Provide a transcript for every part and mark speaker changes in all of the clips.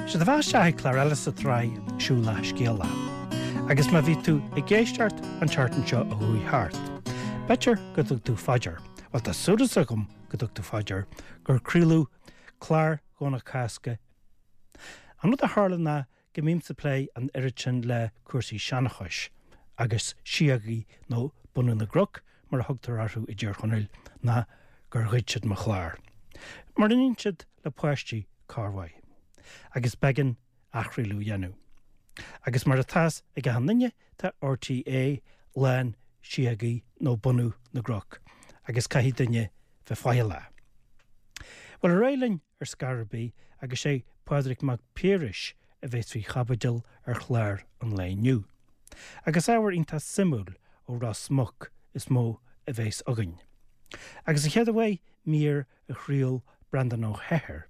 Speaker 1: Sea, tá fáilte isteach ag clár eile sa tsraith Siúlach Scéalach. Agus má bhí tú ag éisteacht an tseachtain seo a chuaigh thart, b'fhéidir go dtug tú fá dear, bhuel tá súil agam go dtug tú fá dear, gur craoladh clár Dhomhnach Cásca. An rud a tharla ná go mbímse ag plé an oiread sin le cúrsaí seanchais agus síogaí nó bunadh na gcnoc mar a thugtar orthu i dTír Chonaill ná gur ghoid siad mo chlár. Mar a níonn siad le páistí corrmhaith. Agus b'éigean athchraoladh a dhéanamh. Agus mar atá's ag achan duine tá RTÉ lán síogaí nó bunadh na gcnoc agus caithfidh duine bheith faichilleach. Bhuel ar aghaidh linn ar scor ar bith agus sé Pádraig Mac Piarais a bheas faoi chaibidil ar chlár an lae inniu. Agus ábhar iontach suimiúil ó Ros Muc is mó a bheas againn. Agus an chéad uair mír a chraol Breandán Ó hEithir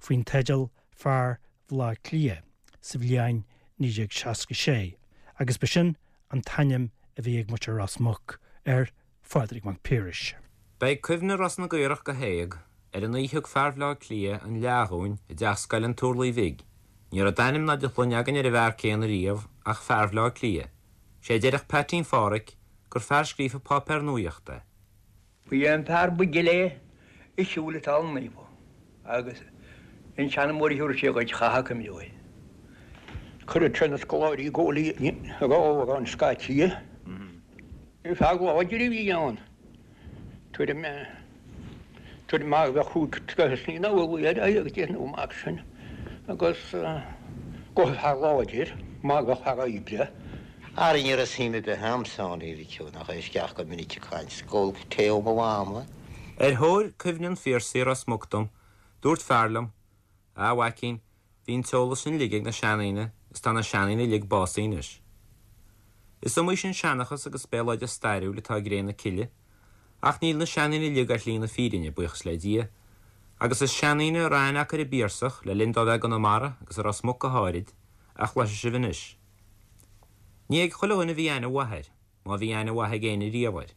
Speaker 1: faoin teideal Fear Bhaile Átha Cliath sa bhliain 1966 agus ba sin an t-ainm a bhí ag muintir Ros Muc ar Phádraig Mac Piarais.
Speaker 2: Beidh cuimhne Ros na gCaorach go héag ar an oíche thug fear Bhaile Átha Cliath an fhleá dhúinn i dteach scoile an Turlaigh Bhig. Ní raibh d'ainm ná de shloinne againn ar an bhfear céanna riamh ach fear Bhaile Átha Cliath. Sé a déarfadh Peaitín Phádhraic gur fear scríofa páipéar nuaíochta é.
Speaker 3: Ba é an fear ba ghile a shiúil an Talamh Naofa agus an seanmóir a thabharfadh sé dhuit chaithfeá cuimhneamh air.
Speaker 4: Chuireadh sé na scoláirí i gcónaí ag amhrán scaití. Fear láidir a bhí ann. Tuairim tuairim mar bheadh chúig troithe sna n-amhlaidh air agus déanamh mar sin agus go fear láidir mar bheadh fear oibre.
Speaker 5: Ara ní raibh suim ar bith a'msa ann, a Mhic nach é isteach go minic ag caint 's ag ól tae ó mo mhama.
Speaker 2: Ar thóir cuimhne an Phiarsaigh i Ros Muc dom, dúirt fear liom, A mhaicín, bhí an t-eolas sin uilig ag na seandaoine is tá na seandaoine uilig básaithe anois. Is iomaí sin seanchas agus béaloideas stairiúil atá i gcré na cille, ach níl na seandaoine uilig ar shlí na fírinne, buíochas le Dia, agus is seandaoine a raibh aithne acu ar an bPiarsach le linn dó bheith i gConamara agus i Ros Muc go háirid, a chloisfidh sibh anois. Ní ag chuile dhuine a bhí aithne mhaith air, má bhí aithne mhaith ag éinne riamh air.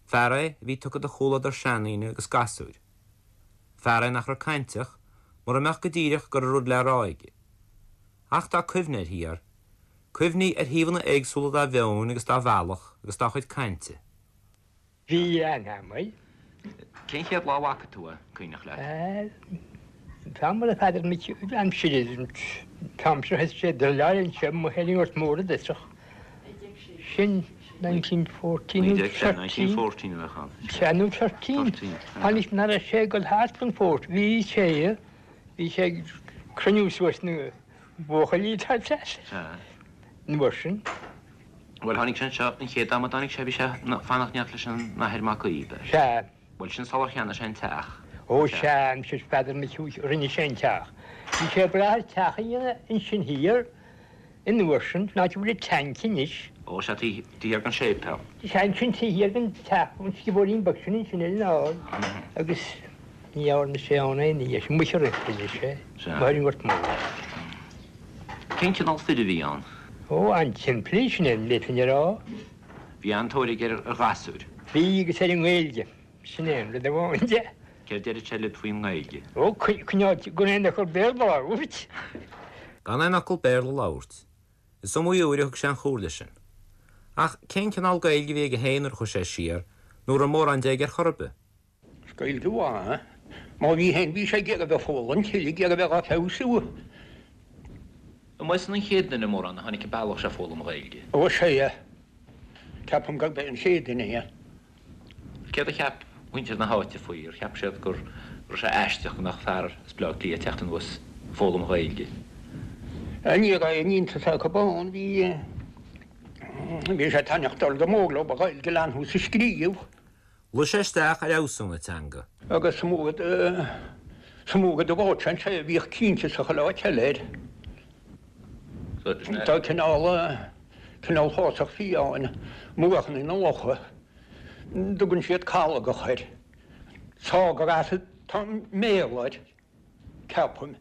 Speaker 2: Fear é a bhí tugtha do chomhluadar seandaoine agus gasúir. Fear é nach raibh cainteach, mura mbeadh go díreach go raibh rud le rá aige. Ach tá cuimhne air thiar, cuimhní ar thaobhanna éagsúla dá mheon agus dá bhealach agus dá chuid cainte.
Speaker 6: Bhí aithne agam air.
Speaker 2: Cén chéad lá a bhfaca tú é, cuimhneach leat?
Speaker 6: An t-am a raibh Peadar Mic aimsire, an t-am seo thit sé druileáil anseo amuigh ar an nGort Mór i dtosach. Sin 1914 nó 13.
Speaker 2: 1914 a bheadh ann.
Speaker 6: Sea, nó 13. Tháinig nach raibh sé ag dul thart don phort. Bhí sé, bhí sé ag cruinniú suas na buachaillí tá deas.
Speaker 2: Sea.
Speaker 6: An uair sin.
Speaker 2: Bhuel, tháinig sé anseo, an chéad am a dtáinig sé, bhí sé ag fanacht in éineacht leis an Athair Mac Aoidh, ab ea?
Speaker 6: Sea.
Speaker 2: Bhuel, sin sular cheannaigh sé an teach.
Speaker 6: Ó, sea, aimsir Pheadair Mhic Uí, rinne sé an teach. Bhí sé ag brath ar teach a dhéanamh ansin thiar, an uair sin, an áit a bhfuil an tank anois.
Speaker 2: Ó, sea, taobh thiar den séipéal.
Speaker 6: Sea, ansin taobh thiar den teach, an sciobóirín beag sin ansin ar an ard, agus ní dhearna sé ann aon ní, amuigh a rinne sé, amuigh ar an nGort Mór.
Speaker 2: Cén cineál fir a bhí ann?
Speaker 6: Ó, an-simplí, sin é an bhféadfainn a rá.
Speaker 2: Bhí an-tóir aige ar ghasúir.
Speaker 6: Bhí, agus ar an nGaeilge. Sin é an rud amháin de.
Speaker 2: Céard deireadh sé libh faoin nGaeilge?
Speaker 6: Ó, coinneáil gan aon fhocal Béarla a labhairt.
Speaker 2: Gan aon fhocal Béarla a labhairt. Is iomaí uair a thug sé an chomhairle sin. Ach cén cineál Gaeilge a bhí aige féin nuair a chuaigh sé siar, nó an raibh mórán de aige ar chor ar bith?
Speaker 4: Is Gaeilge mhaith é. Má bhí féin, bhí sé ag iarraidh a bheith ag foghlaim tuilleadh, ag iarraidh a bheith á feabhsú.
Speaker 2: An mb'eisean an chéad duine mórán a tháinig an bealach seo ag foghlaim Gaeilge?
Speaker 4: Ó, sea. Ceapaim gurb é an chéad duine é.
Speaker 2: Céard a cheap muintir na háite faoi? Ar cheap siad go raibh sé aisteach go mbeadh fear as Baile Átha Cliath ag teacht anuas ag foghlaim Gaeilge?
Speaker 4: Ní raibh aon iontas acu ann. Bhí, bhí sé ag taitneacht dul go mór leo an Ghaeilge a leathnú is a scríobh.
Speaker 2: Luigh sé isteach ar fheabhsú na teanga.
Speaker 4: Agus sa mhór sa mhór do bháid sé anseo a bhíodh cinnte sa chuile áit eile air. Tá cineál cineál fásach fiáin muachanna na locha, dtugann siad calgach air. Sawgrass atá i mBéarla air. ceapaim.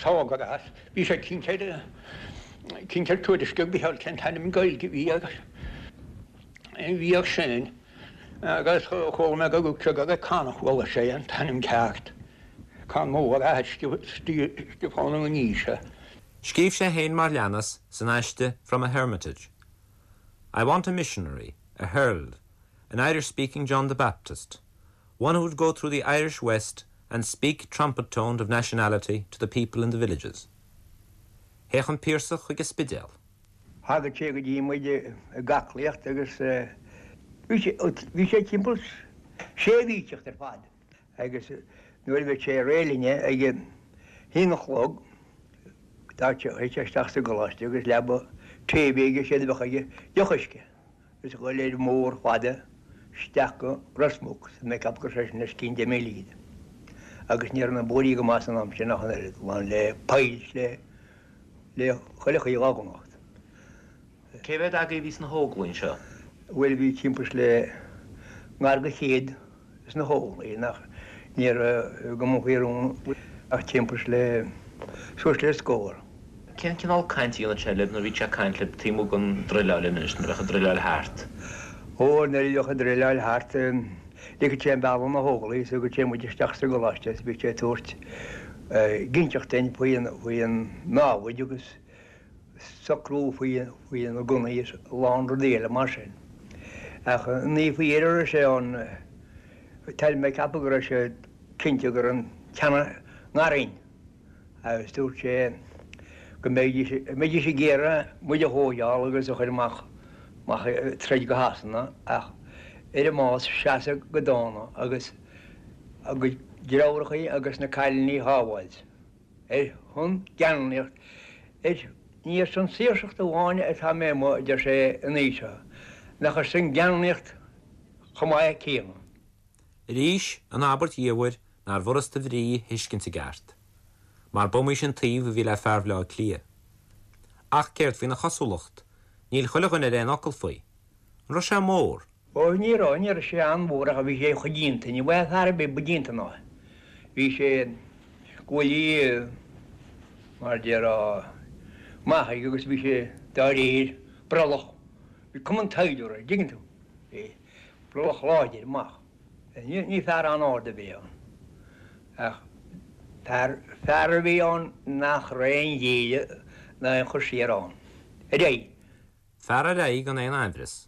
Speaker 4: Sawgrass. Bhí sé cinnte ar cinnte ar tuairisc ag Micheál cén t-ainm Gaeilge a bhí air a bhí air sin agus chuala mé go raibh sé gur ag Conn a chuala sé an t-ainm ceart. Conn Mór, athair Stiofán Ó Naoise.
Speaker 2: Scríobh sé féin mar leanas san aiste From a Hermitage, I want a missionary, a herald, an Irish-speaking John the Baptist, one who would go through the Irish West and speak trumpet-toned of nationality to the people in the villages. Théadh an Piarsach chuig an Spidéal.
Speaker 3: Thagadh sé go dtí muid ag aclaíocht agus bhí sé timpeall sé mhí ag teacht ar fad agus nuair a bheadh sé réidh linne ag a haon a chlog théadh sé isteach sa gcoláiste agus leaba tae a bhí aige séard a bheadh aige deoch uisce agus a ghoil ar an mbóthar fada isteach go Ros Muc tá mé ag ceapadh go raibh sé sin os cionn deich míle fhichead agus ní raibh na bóithrí go maith san am sin ach an oiread, lán le poill 's le le chuile chaoi dhá gconacht.
Speaker 2: Cé mhéad agaibh a bhí sna hÓglaigh anseo?
Speaker 3: Bhuel bhí timpeall le ngar go chéad sna hÓglaigh nach ní raibh i gCumann Faoi Rún ach timpeall le suas le scór.
Speaker 2: Cén cineál cainte a dhéanadh sé libh nuair a bhíodh sé ag caint libh taobh amuigh den druileáil anois, nuair a bheadh an druileáil thart?
Speaker 3: Ó, nuair a bheadh an druileáil thart, Ligeadh sé an bealach do na hÓglaigh is thugadh sé muid isteach sa gcoláiste is bhíodh sé ag tabhairt ginseacht duinn faoi an námhaid agus socrú faoi na gunnaí is a lán rudaí eile mar sin. Ach ní faoi dheireadh a raibh sé ann, tá mé ag ceapadh go raibh sé cinnte go raibh an teannán ngar dhúinn. Agus dúirt sé go mbeidís ag iarraidh muid a thóigeáil agus a chur amach amach ag troid go Shasana ach ar an mbás seasamh go dána agus a gcuid deartháireachaí agus na cailíní a shábháilt. Ar shon geanmnaíocht ar ní ar son saoirseacht amháin atá mé amuigh, a deir sé an oíche seo, nach ar son geanmnaíocht chomh maith céanna.
Speaker 2: Arís, an abairt dhiamhair nár bhfurasta a bhrí a thuiscint i gceart, mar b'iomaí sin taobh a bhí le fear Bhaile Átha Cliath. Ach céard faoina chosúlacht? Níl chuile dhuine ar aon fhocal faoi. An raibh sé mór?
Speaker 3: Ó, ní raibh, ní raibh sé an-mhór ach bhí sé chomh díonta, ní bhfaighfeá fear ar bith ba díonta ná é. Bhí sé guaillí mar déarfá maith aige agus bhí sé dá réir brollach. Bhí cuma an tsaighdiúra air, dtuigeann tú. Bhí. Brollach láidir amach. Ní fear an-ard a bhí ann, ach fear, fear a bhí ann nach raibh aon ghéilleadh ná aon chur siar ann. Ar aghaidh!
Speaker 2: Fear ar aghaidh gan aon aimhreas.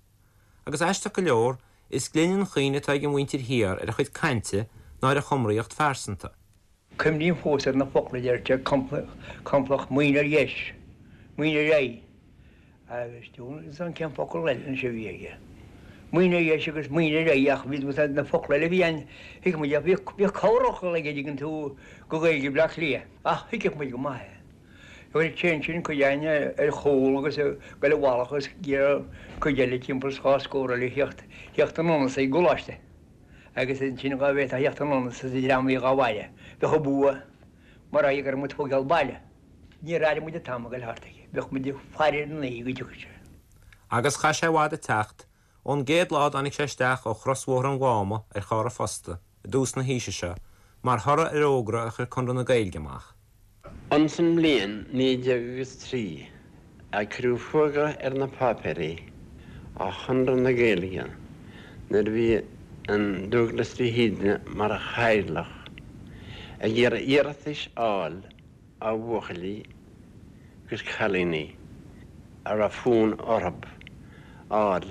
Speaker 2: Agus aisteach go leor, is glinne an chuimhne atá ag an mhuintir thiar ar a chuid cainte ná ar a chumraíocht phearsanta.
Speaker 3: Cuimhním fós ar na focla a deir sé, complach muin ar dheis, muin ar aghaidh. Agus diabhal ann cén focal eile anois a bhí aige. Muin ar dheis agus muin ar aghaidh ach bhí na focla eile a bhí ann, thuig muid ach bhíodh corrfhocal aige dtuigeann tú go Gaeilge Bhleá Cliath ach thuigfeadh muid go maith é. Chuir sé ansin cuid againn ar chúl agus ag goil i bhfalach agus d'iarr cuid eile timpeall is dhá scór eile theacht theacht anonn as an gcoláiste agus ansin dhá bhféadfá theacht anonn as an dream a bhí dhá bhaile bheadh an bua mar aghaidh go raibh muid fógháil baile. Níor airigh muid an t-am ag goil thart aige. Bheadh muid ag faire ar an oíche go dtiocfadh sé.
Speaker 2: Agus chaith sé i bhfad ag teacht, ón gcéad lá a dtáinig sé isteach ó chrosbhóthar an Mháma ar charr a phosta, i dtús na haoise seo, mar thoradh ar fhógra a chuir Conradh na Gaeilge amach.
Speaker 7: Ansan mbliain 19 agus 3 a cuireadh fuagra ar na páipéirí ó Chonradh na Gaeilge nuair a bhí an Dúglas de hÍde mar chathaoirleach ag iarraidh iarratais a fháil ó bhuachaillí agus cailíní a raibh fonn orthu a fháil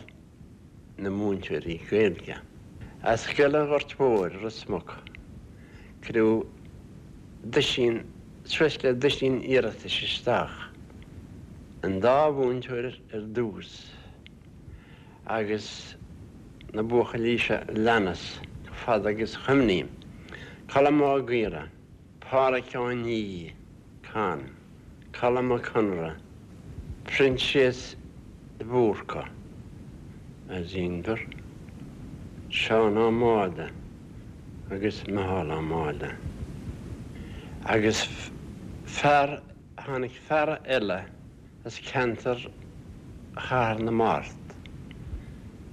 Speaker 7: 'na múinteoirí Gaeilge. As Scoil an Ghoirt Mhóir, Ros Muc, cuireadh duisín, suas le duisín iarratais isteach, an dá mhúinteoir ar dtús agus na buachaillí seo a leanas, chomh fada agus a chuimhním, Colm Ó Gaora, Pádhraic Ó Nia, Con, Colm Mac Conra, Proinsias de Búrca, as Inbhear, Seán Ó Máille agus Micheál Ó Máille. Agus fear, tháinig fear eile as ceantar Chathair na Mart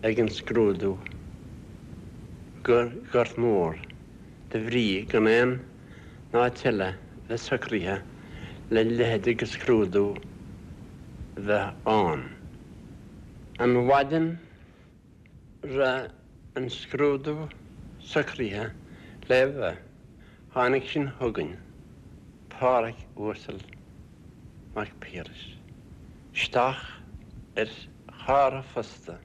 Speaker 7: ag an scrúdú go Gort Mór. de bhrí gan aon áit eile bheith socraithe le leithéid de scrúdú bheith ann. An mhaidin raibh an scrúdú socraithe le bheith. Tháinig sin chugainn, Pádhraic Uasal Mac Piarais, isteach ar charr an phosta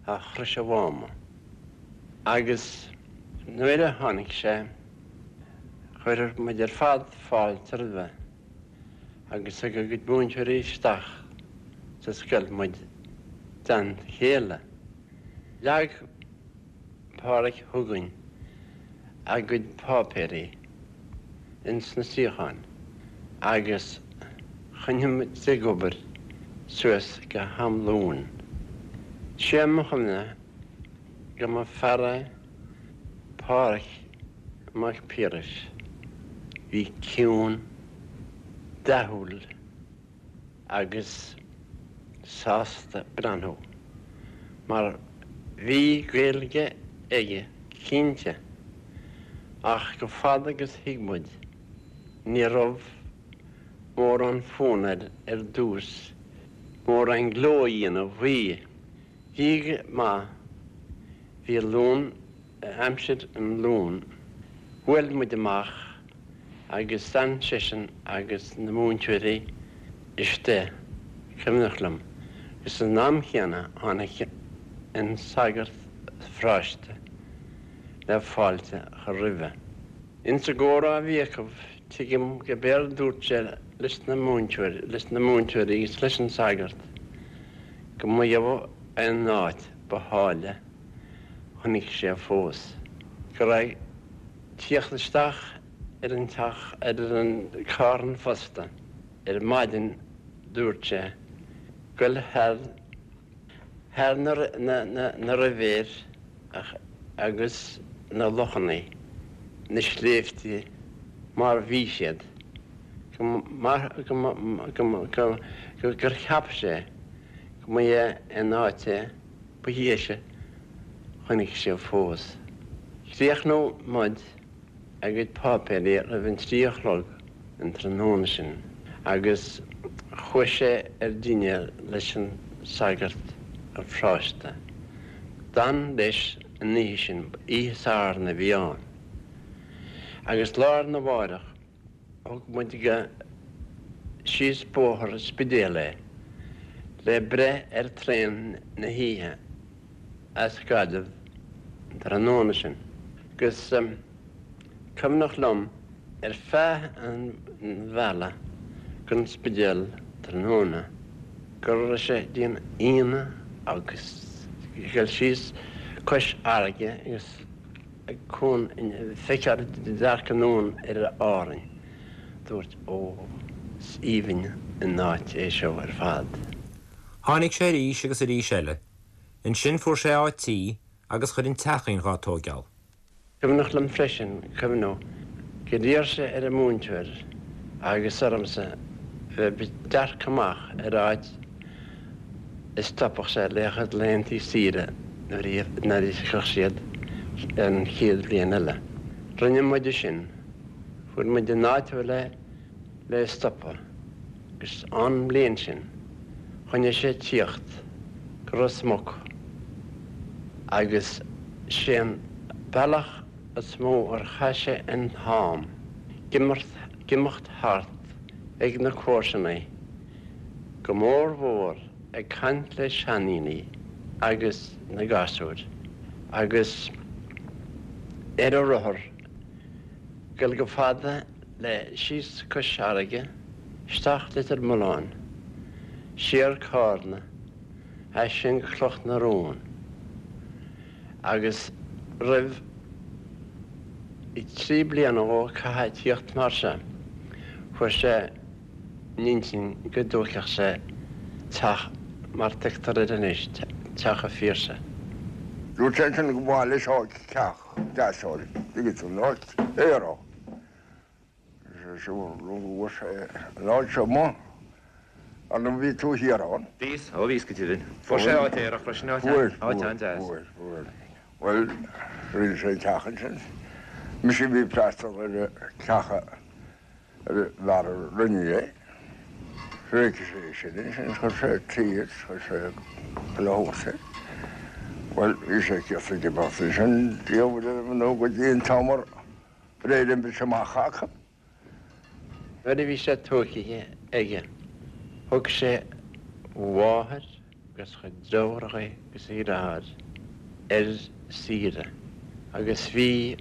Speaker 7: a Chrois an Mháma agus nuair a tháinig sé chuir muid ar fad fáilte roimhe agus thug a gcuid múinteoirí isteach sa scoil muid i dteannta a chéile. Leag Pádhraic chugainn a gcuid páipéirí ins na suíocháin agus choinnigh muid ag obair suas go ham lóin. Sé mo chuimhne go mba fear é Pádhraic Mac Piarais bhí ciúin, dathúil agus sásta breathnú, mar bhí Gaeilge aige cinnte, ach go fada agus thuig muid, ní raibh mórán fonn air ar dtús mórán gleo a dhéanamh faoi. Bhí go maith, bhí lón, aimsir an lóin, bhuail muid amach agus d'fhan seisean agus na múinteoirí istigh, cuimhneach liom, agus san am chéanna tháinig an sagart pharóiste le fáilte a chur roimhe. Ins an gcomhrá a bhí acu, tuigim go b'éard dúirt sé leis na múinteoirí, leis na múinteoirí agus leis an sagart, go mba é an áit ba háille chonaic sé fós, go raibh tíocht isteach ar an teach, ar an carr an phosta ar maidin dúirt sé, goil thar, thar na, na, na ribhéir agus na lochannaí, na sléibhte mar bhí siad, go, mar, go, go, go, gur cheap sé go mba é an áit é. Ba dheise chonaic sé fós. Chríochnódh muid a gcuid páipéirí roimh an 3 a chlog an tráthnóna sin agus chuaigh sé ar dinnéar leis an sagart an pharóiste. D'fhan leis an oíche sin, oíche Sathairn a bhí ann, agus lá arna mháireach Thug muid go síos bóthar an Spidéil é le breith ar traein na hoíche as Gaillimh an tráthnóna sin. Agus cuimhneach liom ar feadh an bhealaigh gon Spidéal tráthnóna go raibh sé ag déanamh ionadh agus ag dul síos cois fharraige agus ag cuan feiceáil dearcadh anonn ar Árainn, dúirt Ó, is aoibhinn an áit é seo ar fad.
Speaker 2: Tháinig sé arís agus arís eile. Ansin fuair sé áit tí agus chuir an teachín dhá tóigeáil.
Speaker 7: Cuimhneach liom freisin cuimhniú gur iarr sé ar an múinteoir agus ormsa bheith ag dearcadh amach ar áit a stopfadh sé le a chuid laethanta saoire nuair a thiocfadh siad an chéad bhliain eile. Rinne muide sin. Fuair muid an áit le le stopadh agus an bhliain sin choinnigh sé tíocht go Ros Muc agus sé an bealach is mó ar chaith sé an t-am ag imeacht thart ag na comharsanaí go mór mhór ag caint le seandaoine agus na gasúir agus ar a rothar dul go fada le síos cois fharraige, isteach Leitir Mealláin, siar Cárna, as sin go Cloch na Rón agus roimh 3 bliana dhó caithfidh tíocht mar seo fuair sé in intinn go dtóigfeadh sé teach mar tuigtear air anois, Teach a' Phiarsaigh.
Speaker 8: Dúirt sé ansin go mba mhaith leis áit, teach deas a fháil, tuigeann tú, an áit aerach. Bhí sé an áit seo amuigh, ar ndóigh bhí tú thiar ann.
Speaker 2: Bhíos, ó bhíos go deimhin. Fuair sé áit aerach freisin, áit áit an-deas.
Speaker 8: Fuair, fuair, fuair. Bhuel, rinne sé teach ansin. Mise a bhí ag freastal ar an teach a Ar an bhfear a rinne é, thréig sé sin ansin, chuir sé tuí agus chuir sé chuile shórt air. Bhuel, bhí sé cíosa ag imeacht ansin, diabhal ar nó go dtí an t-am ar. Réir an bhris amach acu.
Speaker 7: Nuair a bhí sé tóigthe aige thug sé a mháthair agus a chuid deartháireacha agus a dheartháir ar saoire agus bhí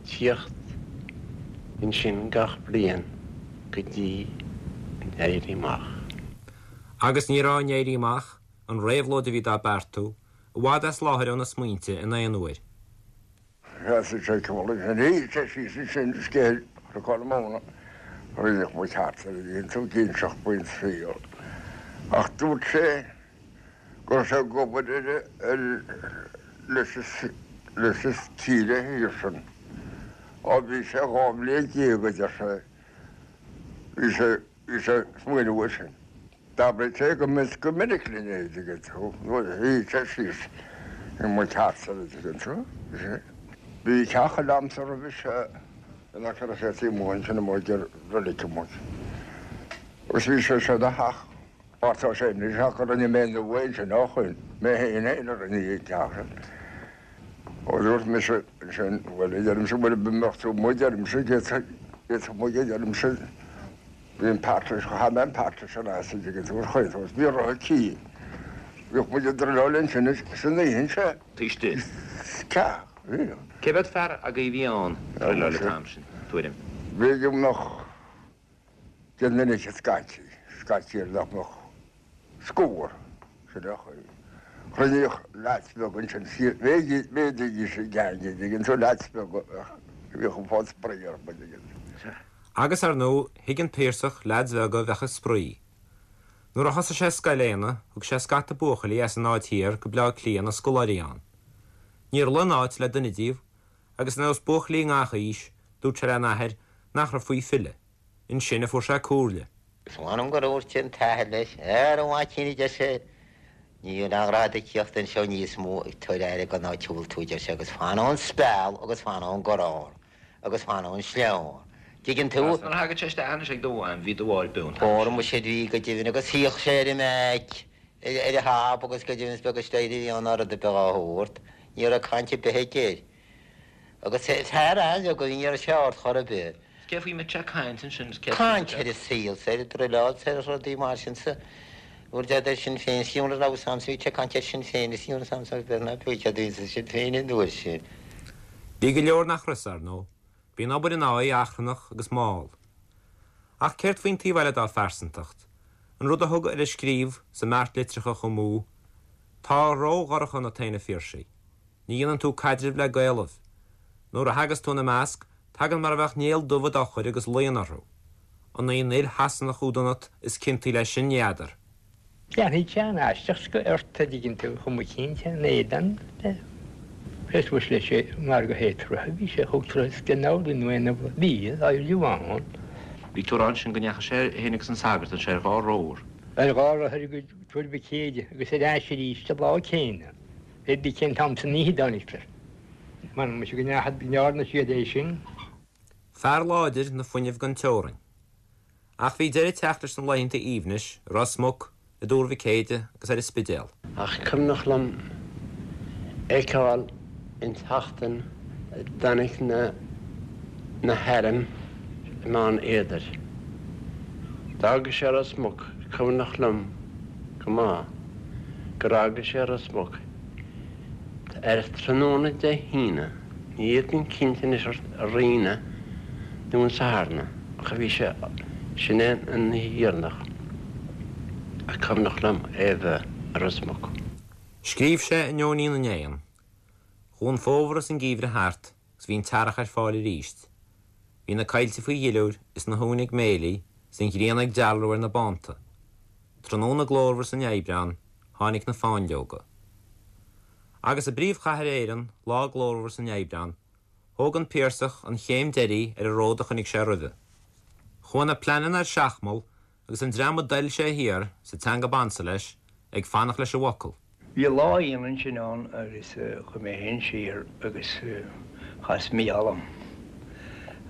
Speaker 7: tíocht ansin gach bliain go dtí an Éirí Amach.
Speaker 2: Agus ní raibh an Éirí Amach, an réabhlóid a bhí dá beartú, i bhfad as láthair óna smaointe in aon uair.
Speaker 8: Sheasaigh sé ceol ansin, shuigh sé síos ansin scéal Chnoc na Móna a rinneadh mo cheart ar a dhéanamh tú ag inseacht faoin saol. Ach dúirt sé go raibh sé ag obair ar ar leis leis an tír thiar sin. Ó bhí sé 12 mbliain a deir sé, bhí sé Bhí sé ag smaoineamh air sin. D'abraigh sé go go minic linn é, dtuigeann tú, nuair a shuigh sé síos i mo theachsa, an dtuigeann tú. Bhí teach eile a'msa roimhe seo in aice le Chéad Amuigh ansin amuigh ag reilig amuigh. Agus bhí sé seo ina theach, mar tá sé anois ach rinne mé nua ansin ó shoin, mé féin féin a rinne an teach sin. Ó dúirt mise ansin, bhuel, a deirimse, bhuel, an mbeadh tú amuigh, deirimse, d'fhéadfadh muid, a deirimse, bhí an partition, chaith mé an partition as, an dtuigeann tú, ar chaoi, agus bhí rotha tí. Bhíodh muid ag druileáil ansin san oíche ansin.
Speaker 2: Taobh istigh.
Speaker 8: Sea, bhí.
Speaker 2: Cé mhéad fear agaibh a bhí ann ag druileáil an t-am sin, tuairim?
Speaker 8: B'fhéidir go mbeadh deich nduine scaití, scaití ar nach mbeadh scór, sin é an chaoi. Chruinníodh leaids beaga ansin, mhéadaídís an gang, an dtuigeann tú, leaids beaga a bhíodh ag fáil spraoi orthu, an dtuigeann tú.
Speaker 2: Agus, ar ndóigh, thuig an Piarsach leaids bheaga a bheadh ag spraoi. Nuair a thosaigh sé Scoil Éanna, thug sé scata buachaillí as an Aird Thiar go Bleá Cliath ina scoláirí ann. Níor luigh an áit le duine díobh, agus ar nós buachaillí i ngach aois, dúirt sé lena athair nach raibh faoi filleadh. Ansin a fuair sé comhairle.
Speaker 5: Is mh'anam gur dhúirt an t-athair leis, Ara a mhaicín, a deir sé, ní bhíonn aon ghrá duit tíocht anseo níos mó ag tabhair aire don áit a bhfuil tú, a deir sé, agus fan ón speal agus fan ón gcorr agus fan ón sleán. Dtuigeann tú?
Speaker 2: Nuair a thagadh sé isteach anois ag do mhaim, bhí do mháthair beo an t-am
Speaker 5: sin. Ó, muise, bhí go deimhin agus shuíodh sé ar an mbaic ar a thab agus go deimhin is beag an staighre a bhí ann ná rud ar bith dhá shórt. Ní raibh caint ar bith aige air. Agus fear an-bheag a bhí, ní raibh sé ard chor ar bith.
Speaker 2: Cé faoi mbeadh sé ag caint ansin? Cé
Speaker 5: Caint ar an saol 's ar an druileáil 's ar rudaí mar sin 's rud ar Sinn Féin 's mura raibh 's a'msa bhí sé ag caint ar Sinn Féin is mura raibh 's a'msa ná beag cad é Sinn Féin an uair sin.
Speaker 2: Bhí go leor nach raibh, ar ndóigh. Bhí an obair ina aghaidh achrannach agus mall. Ach céard faoin taobh eile dá phearsantacht, an rud a thug air a scríobh sa mbeart litreacha chomh mó, Tá ró-dhorcha ionat féin, a Phiarsaigh. Ní dhéanann tú caidreamh le Gaelaibh. Nuair a thagas tú ina measc, tagann mar a bheadh néal dubh i d'fhochair agus luíonn orthu. An í an fhuil Shasanach úd ionat is ciontaí leis sin, ní fheadar.
Speaker 6: Déanfaidh sé an-aisteach ort, a dtuigeann tú, chomh cinnte in éadan le Chris was leis sé mar go héadroithe a bhí sé thug turas den amhlaidh nó aon bhí éileamh ann.
Speaker 2: Bhí tú ag rá ansin go ndeachaigh sé féin agus an sagart ansin ar dhá rothar.
Speaker 6: Ar dhá rothar go Tuar Mhic Éide agus ar ais arís an lá céanna. Pé bí cén t-am san oíche a dtáinig. M'anam muise go ndearna siad é sin.
Speaker 2: Fear láidir, na fuinneamh gan teorainn. Ach bhí deireadh ag teacht leis na laethanta aoibhnis i Ros Muc, i dTuar Mhic Éide agus ar an Spidéal.
Speaker 7: Ach cuimhneach liom fheiceáil an tseachtain a dtáinig na na hairm i mBeann Éadair. D'fhága sé Ros Muc, cuimhneach liom go maith gur fhága sé Ros Muc ar tráthnóna Dé hAoine, ní fhéadfainn cinnte anois ar Aoine nó an Satharn, ach bhí sé, sin é an oíche dheireanach a cuimhneach liom é a bheith i Ros Muc.
Speaker 2: Scríobh sé in Eoinín na nÉan. Chuaigh an fómhar is an geimhreadh thart agus bhí an t-earrach ar fáil arís. Bhí na coillte faoi dhuilliúr is na huain ag méiligh is an ghrian ag dealramh ar na bánta. Tráthnóna glórmhar san Aibreán tháinig na fáinleoga. Agus i bpríomhchathair Éireann, lá glórmhar san Aibreán, thóg an Piarsach an chéim deiridh ar an ród a choinnigh sé roimhe. Chuaigh na pleananna ar seachmall agus an dream a d'oil sé thiar, sa teanga b'ansa leis, ag fanacht leis an bhfocal.
Speaker 3: Bhí lá Aoine ansin ann agus chuaigh mé féin siar agus chas Mícheál orm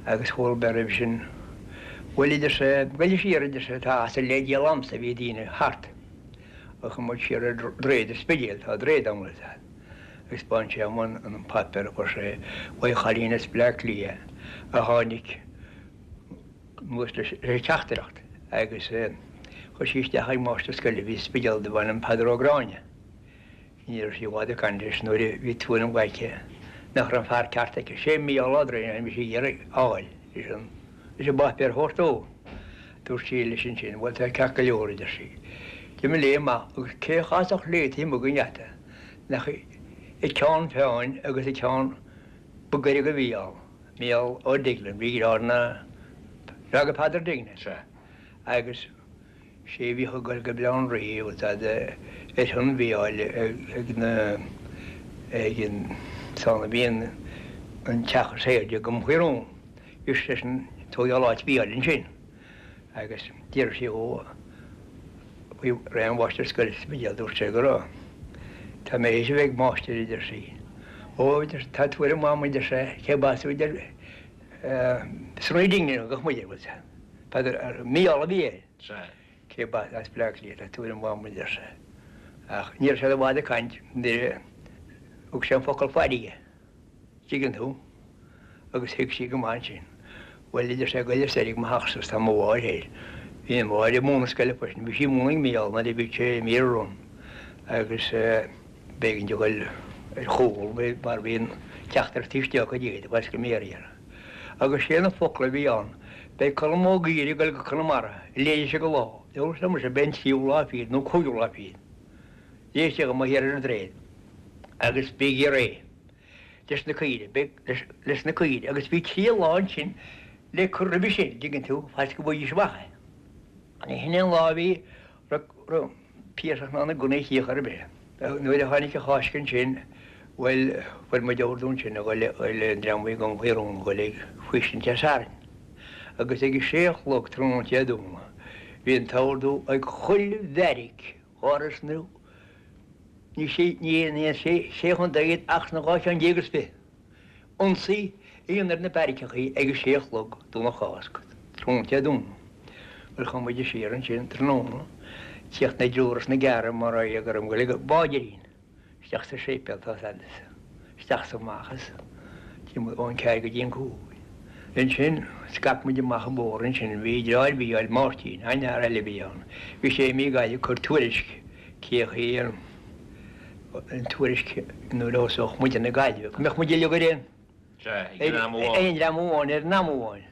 Speaker 3: agus chuala mé roimhe sin, bhuel a deir sé, goil siar a deir sé, tá asal le díol a'msa, bhí daoine thart agus chuaigh muid siar ar droichead an Spidéil, tá droichead ann bhfuil fhios a'd, agus 'spáin sé dhom an páipéar a fuair sé uaidh chailín as Bleá Cliath. a tháinig anuas leis an teachtaireacht agus chuir sí isteach ag máistir scoile a bhí sa Spidéal darbh ainm Peadar Ó Gráinne. Ní raibh sí i bhfad ag caint leis nuair a bhí tuairim aici nach raibh an fear ceart aici. Sé Mícheál Ó Droighneáin a bhí sí ag iarraidh a fháil leis an leis an bpáipéar a thabhairt dó. Dúirt sí leis ansin, Bhuel, tá ceart go leor, a deir sí. De mo léim amach agus cé a chasfadh léi taobh amuigh den gheata nach ag ceann feadhain agus ag ceann ba gaire do Mhícheál, Mícheál Ó Deiglean, bhí deartháir na, deartháir do Pheadar Deignan. Sea. Agus. Sé a bhíodh ag dul go Baile Átha an Rí agus ar shon Mhícheáil ag na ag an san a bhí an an teach is aoirde i gCom Faoi Rún. Bhí seisean ag tógáil áit Mhícheáil ansin agus d'iarr sí dhó faoi réir an mháistir scoile sa Spidéal dúirt sé go raibh. Tá mé théis a bheith ag máistir a deir sí. Ó a deir tá tuairim agam a deir sé cé b'as a deir Sonny Deignan a thugadh muid air bhfuil sé. Peadar, Mícheál a bhí air.
Speaker 9: Sea.
Speaker 3: Cé ba as Bleá Cliath, tá tuairim mhaith agam a deir sé. Ach ní raibh siad i bhfad ag caint nuair a thug sé an focal farraige, dtuigeann tú, agus thuig sí go maith ansin. Bhuel, a deir sé, goil soir ag mo theachsa is tá mo mháthair thoir. Bhí a mháthair ag múineadh scoile freisin, bhí sí ag múineadh ag Mícheál nuair a bhí sé i Mír Run agus b'éigean di dhul ar chúl mar bhí an teachtaireacht taobh istigh acu di, bhfuil go mbéarra. Agus sé na focla a bhí ann, Beidh Colm Ó Gaora ag dul go Conamara, léigh sé go lá, dúirt liom mise, beidh an tríú lá fichead nó cúigiú lá fichead. Léigh sé go thiar ar an droichead agus bígí réidh leis na caoirigh, beidh leis na caoirigh agus bhí trí lá ansin le cur roimhe sin, dtuigeann tú, faitíos go bhfaighidís amach é. Ní hin é an lá a bhí raibh Piarsach ná na gunnaí a chíoch ar bith. Nuair a tháinig an Cháisc ansin, bhuel, fuair muid ordú ansin a dhul le an dream a bhí i gCom Faoi Rún, a dhul ag faoistin Dé Sathairn. Agus ag a sé a chlog tráthnóna Dé Domhnaigh, bhí an t-ordú ag chuile bheairic dhá sna, ní sé, ní aon sé, sé chontae iad ach sna 12 cheann is fiche. Ionsaí a dhéanamh ar na beairiceachaí ag a sé a chlog Domhnach Cásca, tráthnóna Dé Domhnaigh. Bhuel, chuaigh muid siar ansin tráthnóna, tíocht na dtriúr is na gceathrar mar a go raibh muid ag báidirín isteach sa séipéal tá fhios a'd, isteach is amach as timpeall ón ceathair go dtí an cúig. Ansin scaip muid amach an bóthar ansin, bhí deartháir Mhícheáil, Máirtín, an-fhear eile a bhí ann, bhí sé imithe go Gaillimh ag cur tuairisc cé chaoi an an tuairisc nuair a thosódh muid na Gaillimhe, go mbeadh muid uilig ar aon aon dream amháin ar an am amháin.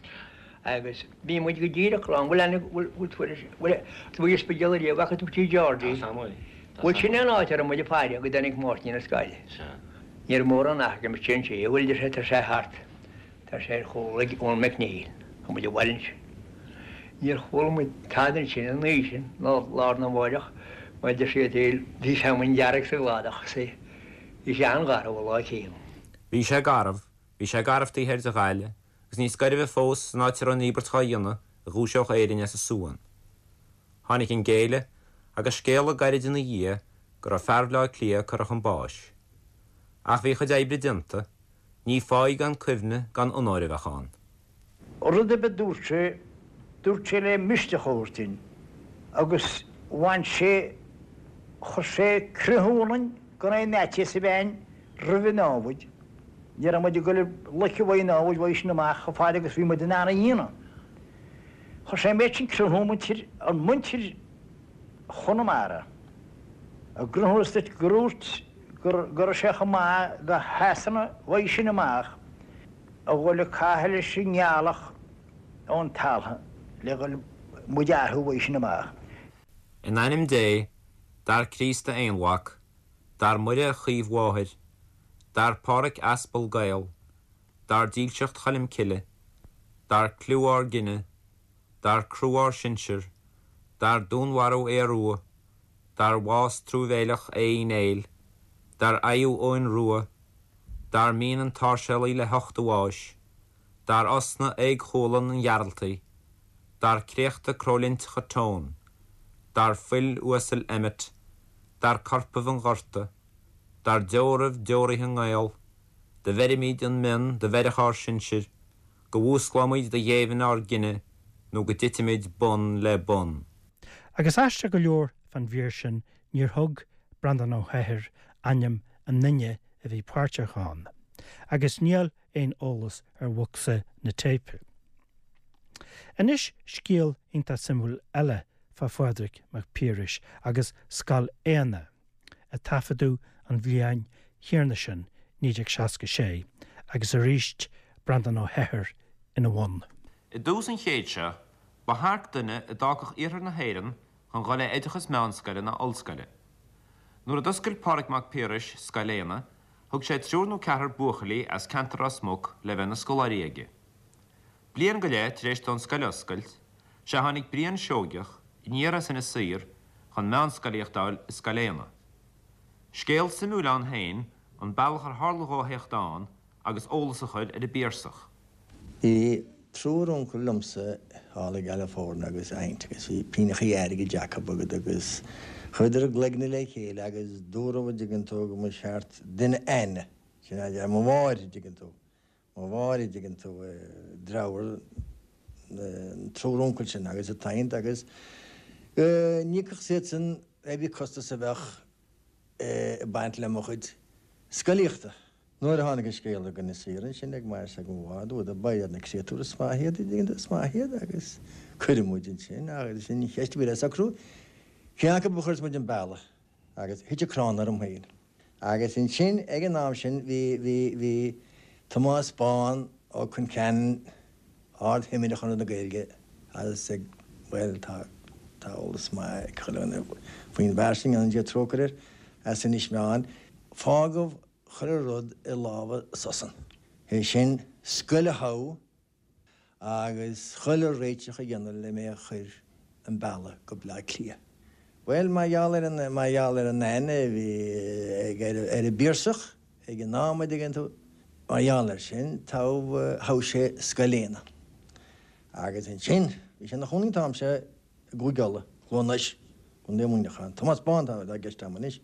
Speaker 3: Agus bhí muid go díreach lán, bhfuil aithne, bhfuil tuairisc, bhfuil, bhfuil an Spidéal ariamh, bhfaca tú Tigh Georgie? Bhuel sin é an áit a raibh muid ag faire go dtáinig Máirtín as Gaillimh. Ní raibh mórán athraithe amuigh ansin, bhuel deir sé, tá sé thart. Tá sé ar chúl ag Eoin McNeill. Tá muid abhaile ansin. Níor chuala muid tada ansin an oíche sin ná lá arna mháireach mar deir siad bhí feamainn dhearg sa gcladach is bhí sé an-gharbh an lá céanna.
Speaker 2: Bhí sé garbh, bhí sé garbh taobh thoir de Ghaillimh, agus níos gairbhe fós san áit a raibh an íobairt dhá dhéanamh a dhúiseodh Éirinn as a suan. Tháinig an géilleadh, agus scéala gairid ina dhiaidh go raibh fear Bhaile Átha Cliath curtha chun báis. Ach bhí a chuid oibre déanta, Ní fáidh gan cuimhne gan onóir a bheadh ann.
Speaker 10: Rud ar bith a dúirt sé, dúirt sé le misneach a thabhairt duinn agus bhain sé, chuir sé croitheadh ionainn gan aon fhaitíos a bheith againn roimh an námhaid. Ní raibh muid ag dul ag loiceadh uaidh an námhaid uaidh sin amach chomh fada agus bhí muid in ann a dhéanamh. Chuir sé an méid sin croitheadh muintir, ar mhuintir Chonamara. A gcruthúnas duit gur dhúirt go raibh sé chomh maith do Shasana uaidh sin amach a dhul ag caitheamh leis an ngealach ón talamh le dhul muid a athrú uaidh sin amach.
Speaker 2: In ainm Dé, dar Críost a Aonmhac, dar Muire a Chaomh-Mháthair, dar Pádhraic Aspal Gael, dar dílseacht Choilm Cille, dar cliú ár gcine, dar crú ár sinsear, dar dúnmharú Aodha Rua, dar bhás truamhéileach Aodh Uí Néill, dar fhaghadh Eoghain Rua, dar mian an tSáirséalaigh le hucht a bháis, dar osna Aodh Chualann an Ghearaltaigh, dar créachta crólinteacha Tone, dar fuil uasail Emmet, dar corpaibh an Ghorta, dar deoraibh deoraithe nGael, do bheirimid an mionn do bheireadh ár sinsir, go bhfuasclóimid do ghéibheann ár gcine nó go dtitfimid bun le bun.
Speaker 1: Agus aisteach go leor fán mhír sin níor thug Breandán Ó hEithir ainm an duine a bhí páirteach ann. Agus níl aon eolas ar bhocsa na téipe. Anois scéal iontach suimiúil eile fá Phádraig Mac Piarais agus Scoil Éanna, a taifeadadh an bhliain chéanna sin, 1966, agus arís Breandán Ó hEithir ina bhun.
Speaker 2: I dtús an chéid seo, ba thearc duine a d'fhágfadh iarthar na hÉireann chun dhul le oideachas meánscoile ná ollscoile. Nuair a d'oscail Pádraig Mac Piarais Scoil Éanna, thug sé triúr nó ceathrar buachaillí as ceantar Ros Muc le bheith ina scoláirí aige. Bliain go leith tar éis dó an scoil a oscailt, sea tháinig Brian Seoigeach aniar as Inis Oírr chun meánscolaíocht a fháil i Scoil Éanna. Scéal suimiúil ann féin an bealach ar tharla dhó a theacht ann agus eolas a chur ar an bPiarsach.
Speaker 9: Bhí triúr uncail liomsa thall i gCalifornia agus aint agus bhí pingneachaí airgid acu agat agus chuireadar a gcloigne le chéile agus dúradh an dtuigeann tú go mba cheart duine aithne, sin a deir mo mháthair an dtuigeann tú, mo mháthair an dtuigeann tú, dreabhar an triúr uncail sin agus a t-aint agus go n-íocfadh siadsan pé bith costas a bheadh ag baint le mo chuid scolaíochta. Nuair a tháinig an scéal go Inis Oírr ansin ag m'athair is ag mo mháthair, dúradar, ba iad na créatúir is maith iad, is maith iad agus cuireadh muid ansin agus sin an cheist a bhí le socrú, cé acu a chuirfeas muid an bealach agus thit an crann orm féin. Agus ansin ag an am sin bhí, bhí, bhí Tomás Bán Ó Concheanainn, Ard-Thimire Chonradh na Gaeilge agus ag, bhuel tá, tá eolas maith ag chuile dhuine faoin bhfear sin, go ndéana Dia trócaire air, as Inis Meáin. Fágadh chuile rud i lámha s'acusan. É sin, scoil a thoghadh agus chuile réiteach a dhéanamh le mé a chur an bealach go Bleá Cliath. Bhuel, mar gheall ar an, mar gheall ar an aithne a bhí ag, ar, ar an bPiarsach ag an am, a dtuigeann tú, mar gheall air sin, toghadh, thogh sé Scoil Éanna. Agus ansin, bhí sé ina chónaí an t-am seo i gCúige Uladh, Cluain Eois, Contae Mhuineacháin. Tomás Bán atá i gceist agam anois.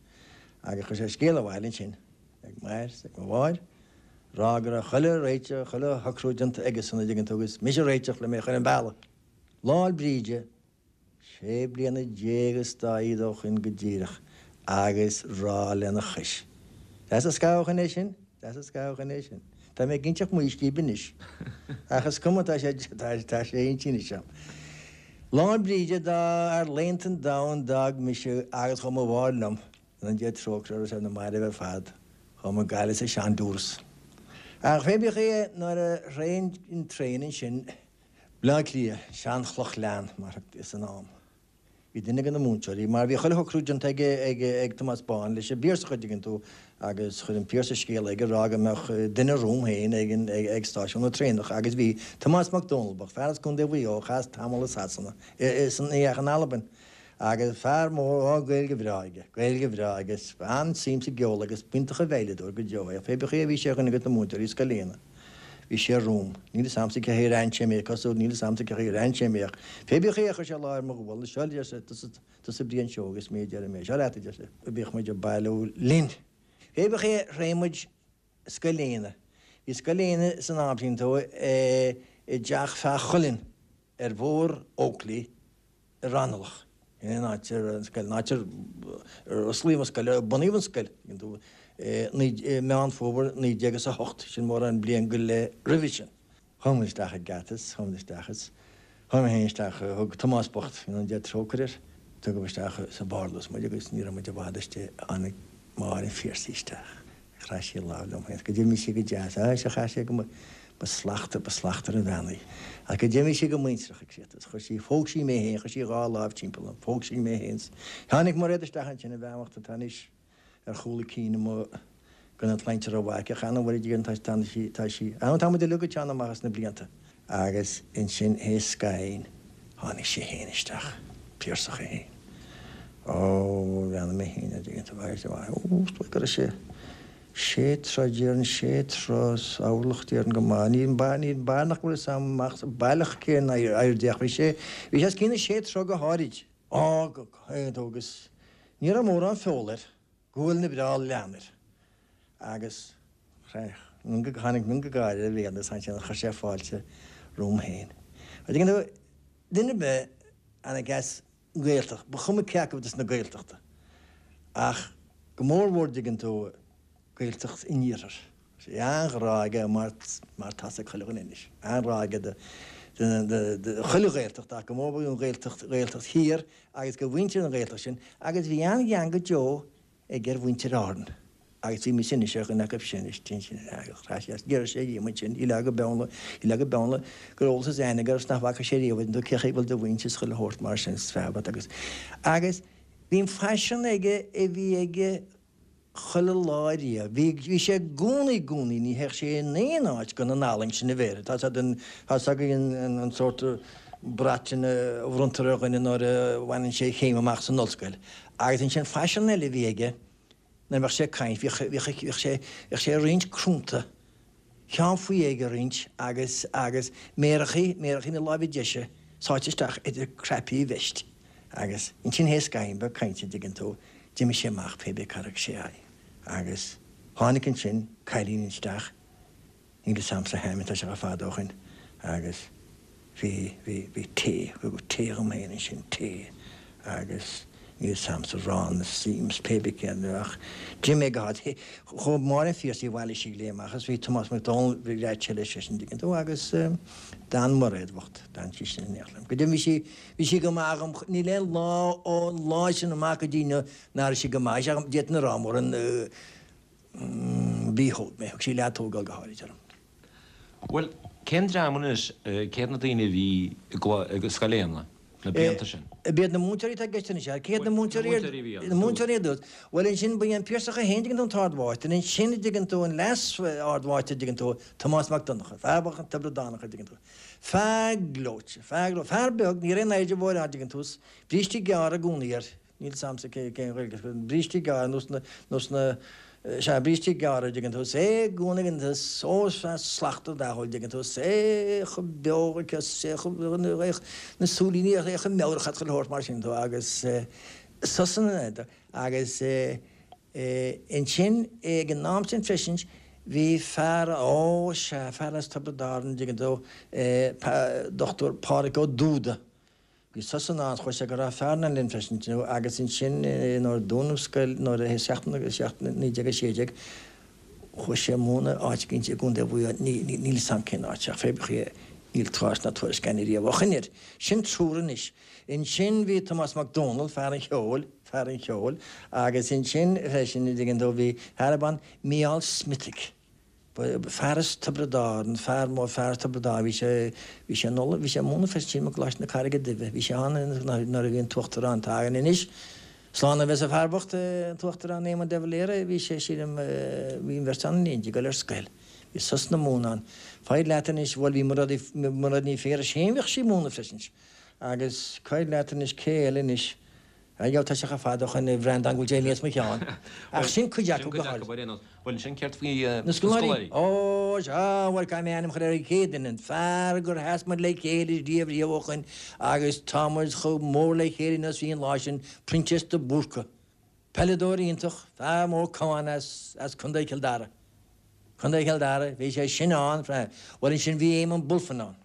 Speaker 9: Agus chuir sé scéal abhaile ansin ag m'athair is ag mo mháthair, ag rá go raibh chuile réiteach, chuile shocrú déanta aigesan, a dtuigeann tú, agus mise a réiteach le mé a chur an bealach. Lá 'le Bríde, sé bliana déag is dá fhichead ó shoin go díreach, agus rá lena chois. Deas an scaitheamh ó shoin é sin, deas an scaitheamh ó shoin é sin. Tá mé ag inseacht mo aois díb anois. Ach is cuma, tá sé, tá sé inste anois a'm. Lá 'le Bríde dá fhearr laethanta an domhain d'fhág mise agus chuaigh mo mháthair liom, go ndéana Dia trócaire uirthi is ar na mairbh ar fad, chuaigh muid Gaillimh sa sean-Durus. Ach pé bith chaoi é, nuair a shroich an traein ansin Bleá Cliath, Seanchloch Leann mar a thugtaí san am. Bhí duine de na múinteoirí, mar bhí chuile shocrú déanta ag, ag, ag Tomás Bán leis an bPiarsach a' dtuigeann tú agus chuir an Piarsach scéala aige ag rá go mbeadh duine romham féin ag an, ag, ag stáisiún na traenach agus bhí Tomás Mac Dónaill, ba fear as Contae Mhaigh Eo a chaith tamall i Sasana, i, i, san, ní ach in Albain agus fear mór, á, Gaeilge bhreá aige, Gaeilge bhreá aige, an-suim sa gceol agus b'iontach an veidhleadóir go deo é, pé bith chaoi a bhí sé ar dhuine de na múinteoirí Scoil Éanna. Bhí sé romham. Níl fhios a'msa cé chaoi ar aithin sé mé, cosúil, níl fhios a'msa cé chaoi ar aithin sé mé ach pé bith chaoi é chuir sé lámh ar mo ghualainn, seo a deir sé, tusa, tusa Brian Seoighe, is mé a deir mé, seo leat a deir sé. Bhíodh muid ag bailiú linn. Pé bith chaoi é shroich muid Scoil Éanna. Bhí Scoil Éanna san am sin tú i dteach Feá Chuilinn ar Bhóthar Oakley i Raghnallach, in aon áit ar an scoil, an áit ar osclaíodh an scoil, ar bunaíodh an scoil, i Meán Fómhair 1908, sin mórán bliain go leith roimhe sin. Chuaigh muid isteach ag geata is chuaigh muid isteach is chuaigh mé féin isteach, thug Tomás bocht, go ndéana Dia trócaire air, tugadh isteach sa bparlús muid agus ní raibh muid i bhfad istigh, tháinig Máire an Phiarsaigh isteach. Chraith sí a lámh liom féin. Go d'imigh sí go deas. Á, sea, chaith sé go, ba slachtmhar, ba slachtmhar an bhean í. Ach go d'imigh sí go muintearach ag siad. Chuir sí, phóg sí mé féin, chuir sí a dhá lámh timpeall orm, phóg sí mé féin. Tháinig Mairéad isteach ansin, an bhean bhocht atá anois ar chúl a cinn amuigh gan an tsláinte rómhaith aici, ach an bhfuil a fhios tá sí, tá sí, á, tá muid uilig ag teannadh amach as na blianta. Agus ansin théis scathaimh tháinig sé féin isteach, Piarsach é féin. Ó, bhreathnaigh mé féin air, dtuigeann tú, agus ó, is dóigh go raibh sé sé troigh déarfainn, sé troigh is orlach déarfainn go maith. Níl níl bail nach bhfuil fhios a'm amach baileach cén airde ach bhí sé, bhí sé os cionn na sé troigh go háirid. Á, go, go, agus ní raibh mórán feola air. Guailne breá leathan air agus tháinig mionghadh gáire ar a bhéal agus ansin chuir sé fáilte romham féin. An dtuigeann tú, duine ar bith a tháinig as an nGaeltacht, ba chuma cé acu des na Gaeltachta, ach go mór mhór dtuigeann tú, Gaeltacht an Iarthair. Bhí an-ghrá aige mar mar tá's ag chuile dhuine anois, an-ghrá aige do do chuile Ghaeltacht ach go mór mhór don Ghaeltacht, Ghaeltacht thiar agus do mhuintir na Gaeltachta sin agus bhí an-ghean go deo aige ar mhuintir Árann agus bhí mise anois ar dhuine acu sin is sin agus chraith sé as d'iarr sé díom ansin, shílfeá go beann le, shílfeá go beann le, go raibh eolas is aithne aige agus nach bhfaca sé riamh an cé chaoi bhfuil do mhuintir is chuile shórt mar sin is fearr agus agus bhí an faisean aige a bhí aige chuile lá riamh. Bhí, bhí sé i gcónaí, i gcónaí, ní théadh sé in aon áit gan an fhallaing sin a bheith air. Tá's a'd an, tá's agaibh an, an, an sórt brat sin a bhronntar ar dhuine nuair a bhaineann sé a chéim amach san ollscoil. Agus ansin faisean eile a bhí aige, nuair a bheadh sé ag caint, bhíodh, bhíodh, bhíodh sé, bhíodh sé ag roinnt crúnta, ceann faoi dhéag a roinnt agus, agus méarachaí, méarachaí na láimhe deise sáite isteach idir cnaipí a veist. Agus ansin théis scathaín beag cainte, an dtuigeann tú, d'imigh sé amach pé bith cá raibh sé aghaidh. Agus tháinig ansin cailín isteach, níl fhios a'msa a hainm, tá sé chomh fada ó shoin, agus bhí, bhí, bhí tae, thugadh tae dhom féin ansin, tae, agus níl fhios a'msa arán is im is pé bith céard ach d'imigh mé go háit, chuaigh Máire an Phiarsaigh bhailigh sí léi amach agus bhí Tomás Mac Dónaill, bhí leaid leis seisean, an dtuigeann tú, agus d'fhan Mairéad bhocht, d'fhan sí sin in éineacht liom. Go deimhin bhí sí, Bhí sí go maith dhom, níl aon lá ón lá sin amach go dtí inniu nach raibh sí go maith dhom, d'fhéadfainn a rá mórán mhí-thóg mé, thug sí leath-tógáil go háirid orm.
Speaker 2: Bhuel, cén dream anois, cé hiad na daoine a bhí i Scoil Éanna na blianta sin?
Speaker 9: B'iad na múinteoirí atá i gceist anois, cé hiad na múinteoirí na múinteoirí ar dtús? Bhuel ansin ba é an Piarsach é féin, dtuigeann tú, an t-ardmháistir, ansin a dtuigeann tú, an leas-ardmháistir, dtuigeann tú, Tomás Mac Donncha, fear bocht an Tiobradánach, a dtuigeann tú. Fear gleoite, fear gleoite, fear beag, ní raibh aon airde mhór ann, dtuigeann tú, 's brístí gearra i gcónaí air, níl 's a'msa cé, cén Ghaeilge, brístí gearra, nós na, nós na, sea, brístí gearra, dtuigeann tú, 's é i gcónaí ag an, ó, 's fear slachtmhar dathúil, dtuigeann tú, 's é chomh beo aici, 's é chomh, na súilíní, é chomh meabhrach, chuile shórt mar sin, tú, agus sosanna, agus. Ansin, ag an am sin freisin, bhí fear, ó sea, fear as Tiobraid Árann, an dtuigeann tú, Dochtúir Pádraig Ó Dúda. Bhí sosanna ann, chuaigh sé go Ráth Fearnáin linn freisin, you know, agus ansin nuair a dúnadh an scoil, nuair a, 1916, chuaigh sé ag múineadh áit éicint i gContae Mhaigh Eo, níl 'fhios a'm cén áit, ach pé bith é, níl tásc ná tuairisc againn riamh ó shoin air. Sin triúr anois. Ansin bhí Tomás Mac Dónaill, fear an cheoil, fear an cheoil, agus ansin freisin, an dtuigeann tú, bhí fear ab ainm Mícheál Smithwick, fear as Tiobraid Árann, fear mór, fear as Tiobraid Árann, bhí sé, bhí sé in Uladh, bhí sé ag múineadh freisin sílim i gColáiste na Carraige Duibhe, bhí sé ann nuair a bhí an tUachtarán, atá againn anois, slán a bheas an fear bocht, an tUachtarán Éamon de Valera, bhí sé, sílim, bhí an bheirt ann in éindí, ag dul ar scoil. Bhí sosanna ag múineadh ann. Faigh leat anois, bhuel bhí Mairéad Ní Phiarais féin, bhíodh sí ag múineadh freisin. Agus cuir leat anois cé eile anois? Á tá sé chomh fada ó shoin a Bhreandáin go bhfuil sé imithe as mo cheann. Ach sin cuid acu go háirithe.
Speaker 2: Sin cuid acu. Bhuel ansin céard faoi
Speaker 9: na scoláirí? Ó sea, bhuel caithfidh mé ainm a chur ar an chéad duine, an fear gur sheas muid le chéile riamh riamh ó shoin agus tá muid chomh mór le chéile inniu is a bhí an lá sin, Proinsias de Búrca. Peileadóir iontach, fear mór camán as as Contae Chill Dara. Contae Chill Dara, bhí sé sin ann, bhuel ansin bhí Éamonn Bulfin ann.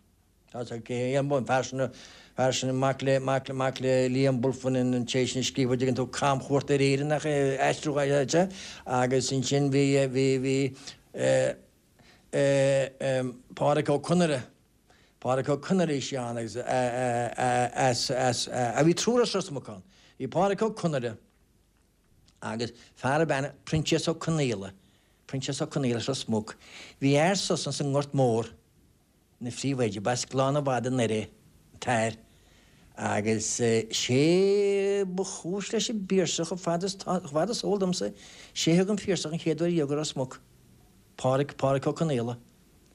Speaker 9: Tá sé cé an fear sin, fear sin mac le, mac le, mac le Liam Bulfin an té sin a scríobh an dtuigeann tú Camchuairt ar Éirinn nach é aistriúchán é agus ansin bhí, bhí, bhí eh, eh, eh, Pádraic Ó Conaire, Pádraic Ó Conaire bhí sé ann agus eh, eh, eh, as, as, eh, a bhí triúr as Ros Muc ann. Bhí Pádraic Ó Conaire agus fear ab ainm Proinsias Ó Conaola, Proinsias Ó Conaola as Ros Muc. Bhí fhear sosan sa nGort Mór. ina phríomhoide, b'as Gleann an Mhada anoir é, an t-fhear, agus sé ba chúis leis an bPiarsach, chomh fada is tá, chomh fada is eol domsa, sé a thug an Piarsach an chéad uair riamh go Ros Muc, Pádraic, Pádraic Ó Conaola,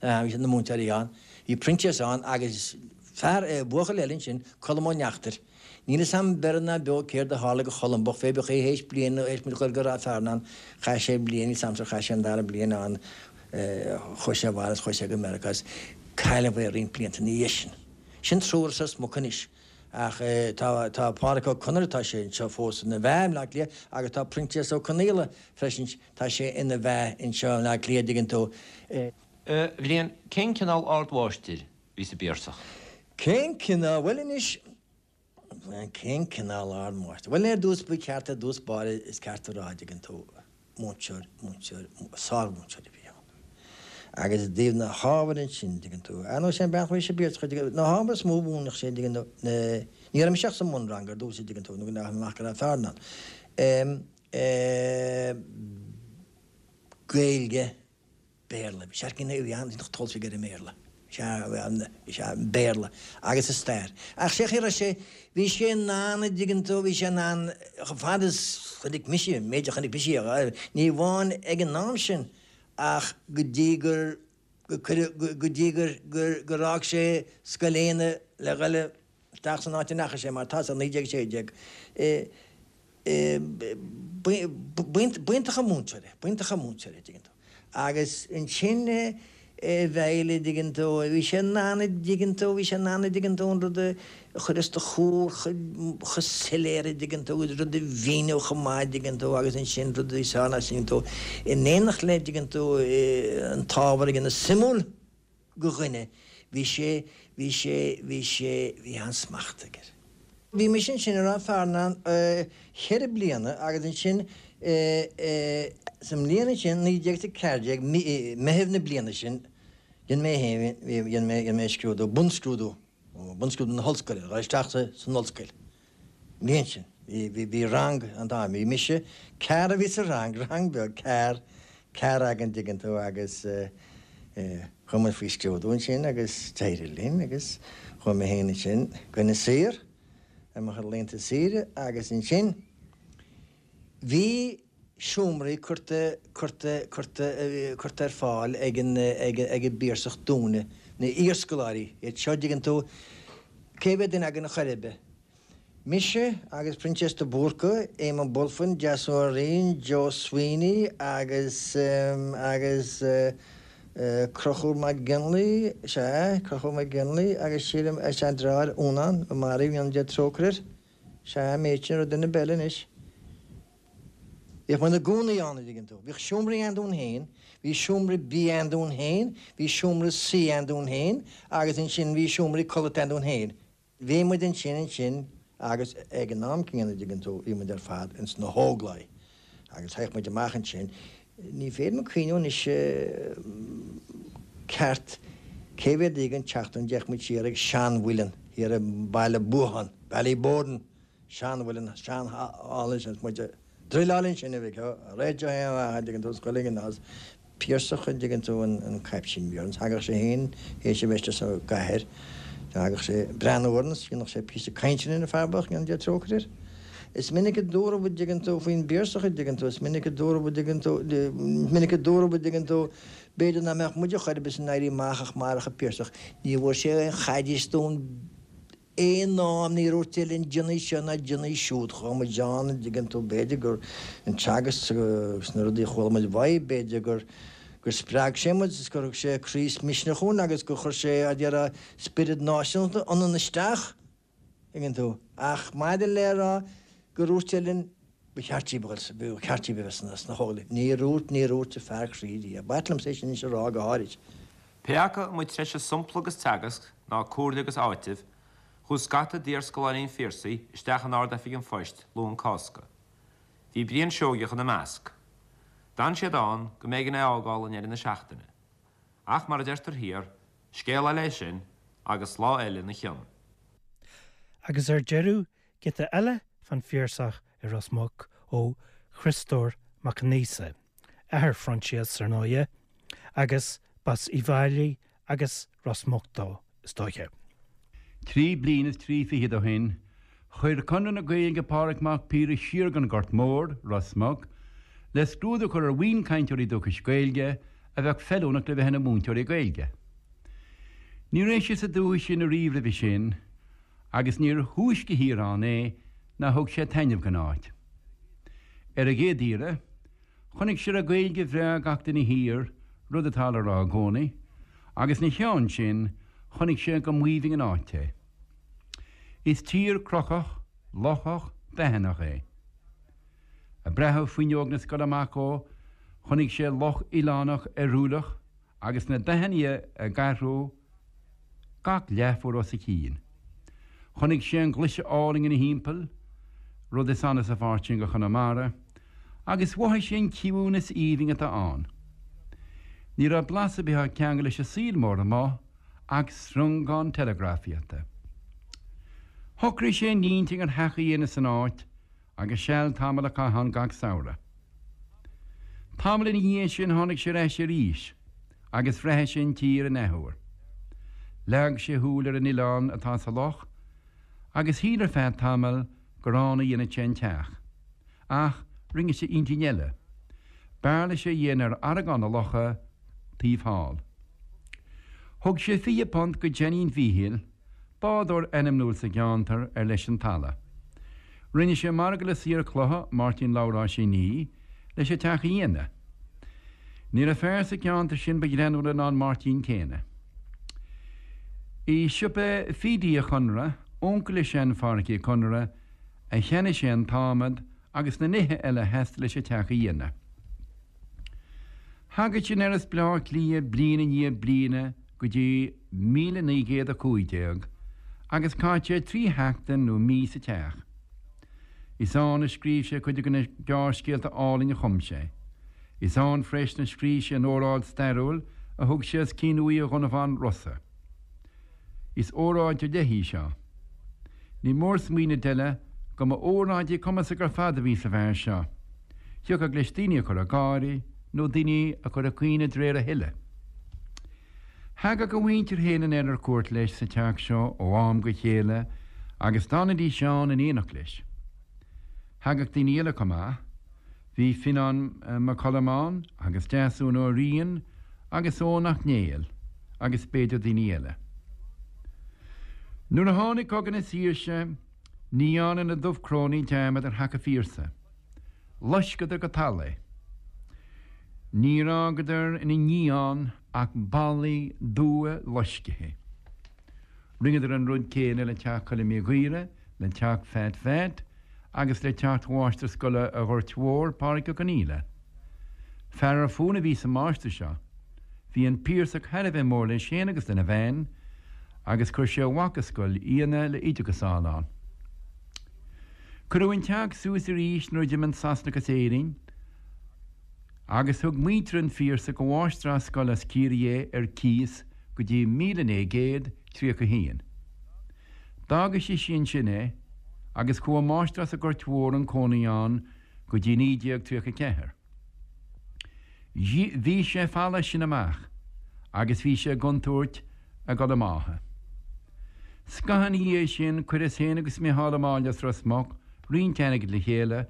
Speaker 9: bhí siad na múinteoirí ann, bhí Proinsias ann agus fear, buachaill eile ansin, Colm Ó Neachtain. Níl fhios a'm beirbh ná beo céard a tharla go Cholm bocht, pé bith é théis bliain nó théis muid dhul go Ráth Fearnáin, chaith sé bliain, níl 'fhios a'msa ar chaith sé an dara bliain ann, chuaigh sé abhaile is chuaigh sé go Meiriceá is cailleadh é roinnt blianta ina dhiaidh sin. Sin triúr as Ros Muc anois ach tá tá Pádraic Ó Conaire, tá sé anseo fós ina bheatha i mBleá Cliath agus tá Proinsias Ó Conaola freisin, tá sé ina bheatha anseo i mBleá Cliath, dtuigeann tú.
Speaker 2: A Bhriain, cén cineál ardmháistir bhí sa bPiarsach.
Speaker 9: Cén cineál, bhuel anois, cén cineál ardmháistir? Bhuel ar dtús, ba cheart ar dtús báire, is ceart a rá, dtuigeann tú, múinteoir, múinteoir, sármhúinteoir a bhí ann. Agus i dtaobh na hábhair ansin, an dtuigeann tú, ar ndóigh sé an bealach a bhí sé bíorsach, an dtuigeann tú, na hábhair is mó a mhúineadh sé, an dtuigeann tú, na, ní raibh mise ach sa mbunrang ar dtús, an dtuigeann tú, nó go ndeachaigh mé amach go Ráth Fearnáin. Em, eh, Gaeilge, Béarla, bhí sé ar gcinn, bhí an-tólamh aige ar an mBéarla, sea, sea, an Béarla agus an stair. Ach sé chaoi a raibh sé, bhí sé in ann, an dtuigeann tú, bhí sé in ann, chomh fada is chonaic mise, an méid a chonaic mise, ní amháin ag an am sin, ach go dtí gur, go cuireadh, go dtí gur, gur, gur fhág sé Scoil Éanna le dhul isteach san áit a ndeachaigh sé, mar tá sa 1916. B'iontach an múinteoir é, b'iontach an múinteoir é, dtuigeann tú. Agus ansin a Mheighil, a dtuigeann tú, bhí sé in ann, a dtuigeann tú, bhí sé in ann, a dtuigeann tú, an rud a chur os do chomhair chomh soiléir, a dtuigeann tú, agus rud a mhíniú chomh maith, a dtuigeann tú, agus ansin rud a bhí sár a dtuigeann tú, in éineacht le, a dtuigeann tú, an t-ábhar a dhéanamh suimiúil go dhuine, bhí sé, bhí sé, bhí sé, bhí an-smacht aige air. Bhí mise ansin i Ráth Fearnáin cheithre bliana agus ansin sa mbliain ansin, 1914, Meitheamh na bliana sin, dhein mé féin, dhein mé, dhein mé scrúdú, bunscrúdú, bunscrúdú na hollscoile, a dhul isteach san ollscoil. An bhliain sin, bhí, bhí, bhí rang an t-am, bhí mise, ceathrar a bhí sa rang, rang beag, ceathrar, ceathrar againn, dtuigeann tú, agus chuaigh muid faoi scrúdú ansin agus d'éirigh linn agus chuaigh mé féin ansin go Inis Oírr ar mo chuid laethanta saoire agus ansin bhí seomraí curtha, curtha, curtha, curtha ar fáil ag an, ag, ag an bPiarsach dúinne, na iarscoláirí, iad seo, dtuigeann tú, cé mhéad duine againn a chor ar bith? Mise agus Proinsias de Búrca, Éamonn Bulfin, Deasún Ó Riain, Joe Sweeney agus, agus Conchúr Mac Gionlaigh, sea, Conchúr Mac Gionlaigh agus sílim a sean-deartháir Únán, a maraíodh, go ndéana Dia trócaire air, sea, an méid sin, raibh duine ar bith eile anois. Bhíodh muid ina gcónaí ann, a dtuigeann tú. Bhíodh seomraí ann dúinn féin, bhí seomra bia ann dúinn féin, bhí seomra suí ann dúinn féin agus ansin bhí seomraí codlata ann dúinn féin. Bhí muid ansin ansin agus ag an am céanna, a dtuigeann tú, bhí muid ar fad ins na hÓglaigh agus théadh muid amach ansin, ní féidir liom cuimhniú anois ceart cé mhéad oíche den tseachtain a dtéadh muid siar ag seanmhuileann thiar i mBaile Buacháin, Ballyboden, seanmhuileann, sean-halla ansin, is muid a. Druileáil ansin a mhic ó, réiteach aon mhaith a dtuigeann tú, scoil ag an Nás, Piarsach a dtuigeann tú an caiptín bhí orainn, thagadh sé féin théis a bheith istigh sa gcathair, thagadh sé ag breathnú orainn is dhéanfadh sé píosa cainte linn an fear bocht, go ndéana Dia trócaire air. Is minic a dúradh a dtuigeann tú faoin bPiarsach a dtuigeann tú, is minic a dúradh a dtuigeann tú, is minic a dúradh a dtuigeann tú, b'fhéidir nach mbeadh muid a chor ar bith san Éirí Amach ach marach an Piarsach, ní bhfuair sé aon chaidéis dúinn, Aon am níor dhúirt sé linn déanaigí seo ná déanaigí siúd, chuaigh muid ann, an dtuigeann tú, b'fhéidir gur an teagasc agus na rudaí a chuala muid uaidh, b'fhéidir gur gur spreag sé muid is gur thug sé croí is misneach dhúinn agus gur chuir sé, a déarfá, spiorad náisiúnta ionainn isteach, tuigeann tú. Ach maidir le rá gur dhúirt sé linn, Ba cheart díbh a dhul, ba cheart díbh a bheith sna hÓglaigh. Níor dhúirt, níor dhúirt an fear croí riamh. B'ait liomsa é sin anois a rá go háirid.
Speaker 2: Pé acu an mba treise sompla agus teagasc ná comhairle agus áiteamh, chuaigh scata d'iarscoláirí an Phiarsaigh isteach in Ard-Oifig an Phoist Luan Cásca. Bhí Brian Seoigeach ina measc. D'fhan siad ann go mb'éigean é a fhágáil i ndeireadh na seachtaine. Ach mar a deirtear thiar, scéal eile é sin agus lá eile ina chionn.
Speaker 1: Agus ar deireadh, Giota eile fán Phiarsach i Ros Muc ó Chriostóir Mac Aonghusa, athair Phroinsias, ar ndóighe, agus b'as Uíbh Fhailí agus Ros Muc dó, is dóiche.
Speaker 11: Trí bliana is trí fichead ó shin, chuir Conradh na Gaeilge Pádraig Mac Piarais siar gon Ghort Mór, Ros Muc, le scrúdú a chur ar bhuíon cainteoirí dúchais Gaeilge a bheadh feiliúnach le bheith ina múinteoirí Gaeilge. Ní raibh sé sa dúthaigh sin ariamh roimhe sin, agus níor thúisce thiar ann é ná thug sé taitneamh gon áit. Ar an gcéad iarraidh, chonaic sé raibh Gaeilge bhreá ag gach duine thiar, rud atá le rá i gcónaí, agus 'na cheann sin, chonaic sé go mb'aoibhinn an áit é. Is tír cnocach, lochach, dathannach é. Ag breathú fuinneog na scoile amach dhó, chonaic sé loch oileánach oiriúlach, agus na dathanna ag athrú gach leathuair os a chionn. Chonaic sé an ghlaise álainn ina thimpeall, rud is annamh sa pháirt sin de Chonamara, agus mhothaigh sé an ciúnas aoibhinn atá ann. Ní raibh blas ar bith á cheangal leis an saol mór amuigh ach sreangán teileagrafaíochta. Shocraigh sé ina intinn ar theach a dhéanamh san áit agus seal tamall a chaitheamh ann gach samhradh. Tamall ina dhiaidh sin tháinig sé ar ais arís agus bhreathnaigh sé an tír in athuair. Leag sé a shúil ar an oileán atá sa loch agus shíl ar feadh tamaill gur ann a dhéanfadh sé an teach. Ach rinne sé intinn eile. B'fhearr leis é a dhéanamh ar aireagán na locha taobh thall. Thug sé £20 go Seáinín Mhíchíl, bádóir ainmniúil sa gceantar ar leis an talamh. Rinne sé margadh le saor cloiche, Máirtín Labhráis Uí Ní, leis an teach a dhéanamh. Ní raibh fear sa gceantar sin ba ghreannmhaire ná an Máirtín céanna. I siopa Phídí Uí Chonaire, uncail le sean-Phádhraic Uí Chonaire, a cheannaigh sé an t-adhmad agus na nithe eile a theastaigh leis an teach a dhéanamh. Thagadh sé anoir as Bleá Cliath bliain i ndiaidh bliana go dtí 1915 agus chaith sé 3 sheachtain nó mí sa teach. Is ann a scríobh sé cuid de na gearrscéalta álainn a chum sé. Is ann freisin a scríobh sé an óráid stairiúil a thug sé os cionn uaighe Dhonnabháin Rosa. Is óráid ar leith í seo. Ní mór smaoineamh eile go mba óráidí cumasach ar fad a bhí sa bhfear seo. Thiocfadh leis daoine a chur ag gáire nó daoine a chur ag caoineadh de réir a thoile. Thagadh a mhuintir féin anoir ar cuairt leis sa teach seo ó am go chéile agus d'fhanaidís ann in éineacht leis. Thagadh daoine eile chomh maith. Bhí Fionán Mac Coluim ann agus Deasún Ó Riain agus Eoin 'Ac Néill agus b'fhéidir daoine eile. Nuair a tháinig Cogadh na Saoirse ní dhearna na Dubhchrónaigh dearmad ar theach an Phiarsaigh. Loisceadar go talamh é. Níor fhágadar ina ndiaidh ann ach ballaí dubha loiscthe. Rinneadar an rud céanna le teach Choilm Uí Ghaora, le teach Phat Mheait agus le teach mháistir scoile an Ghoirt Mhóir, Pádraig Ó Conaola. Fear ar fónamh a bhí sa máistir seo. Bhí an Piarsach thar a bheith mór leis féin agus lena bhean agus chuir sé a mhac i scoil Fhíona le oideachas a fháil ann. Cuireadh an teach suas arís nuair a d'imigh an Sasanach as Éirinn agus thug muintir an Phiarsaigh do mháistreás scoile as Ciarraí é ar cíos go dtí 1931. D'fhága sise ansin é agus chuaigh máistreás an Ghoirt Mhóir chun cónaí ann go dtí 1934. Bhí sé folamh as sin amach agus bhí sé i gcontúirt a dhul i mbáthadh. Scaitheamh ina dhiaidh sin chuireas féin agus Micheál Ó Máille as Ros Muc roinnt airgid le chéile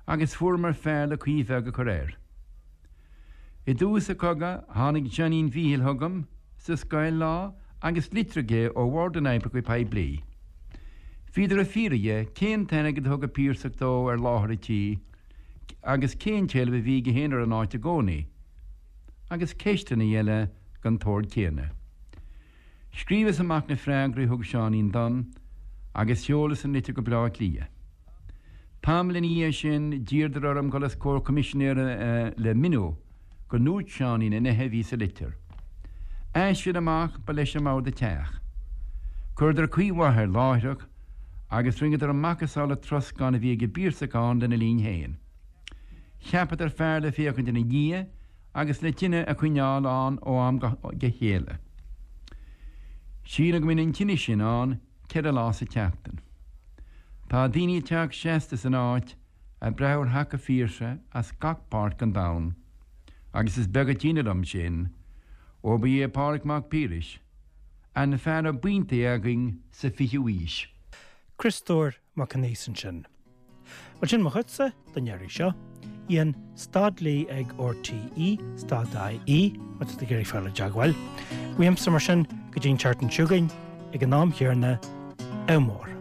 Speaker 11: agus fuaireamar fear le caoi bheag a chur air. I dtús an chogaidh tháinig Seáinín Mhíchíl chugam sa scoil lá agus litir aige ó Bhord na nOibreacha Poiblí. Bhíodar ag fiafraí dhe cén t-airgead a thug an Piarsach dó ar láthair an tí agus cén tseilbh a bhí aige féin ar an áit i gcónaí, agus ceisteanna eile den tsórt céanna. Scríobhas amach na freagraí a thug Seáinín dom agus sheolas an litir go Bleá Cliath. Tamall ina dhiaidh sin d'iarradar orm dul os comhair coimisinéara le miniú go ndúirt Seáinín na nithe a bhí sa litir. As sin amach ba leis an mbord an teach. Chuireadar caoi mhaith air láithreach agus rinneadar macasamhail an troscáin a bhí ag an bPiarsach ann lena linn féin. Cheapadar fear le féachaint ina dhiaidh agus le tine a choinneáil ann ó am go chéile. Sílim go mbíonn an tine sin ann 4 lá sa tseachtain. Tá daoine ag teacht seasta san áit ag breathú ar theach an Phiarsaigh as gach páirt den domhan agus is beag an t-ionadh liom sin ó ba é Pádraig Mac Piarais an fear ab iontaí againn sa 20ú aois.
Speaker 1: Criostóir Mac Aonghusa ansin. Bhuel sin mo chuidse don iarraidh seo. Ian stad lee ag RTE stad IE má tá tú ag iarraidh fáil i dteagmháil. Uaimse mar sin go dtí an tseachtain seo chugainn ag an am chéanna, ádh mór.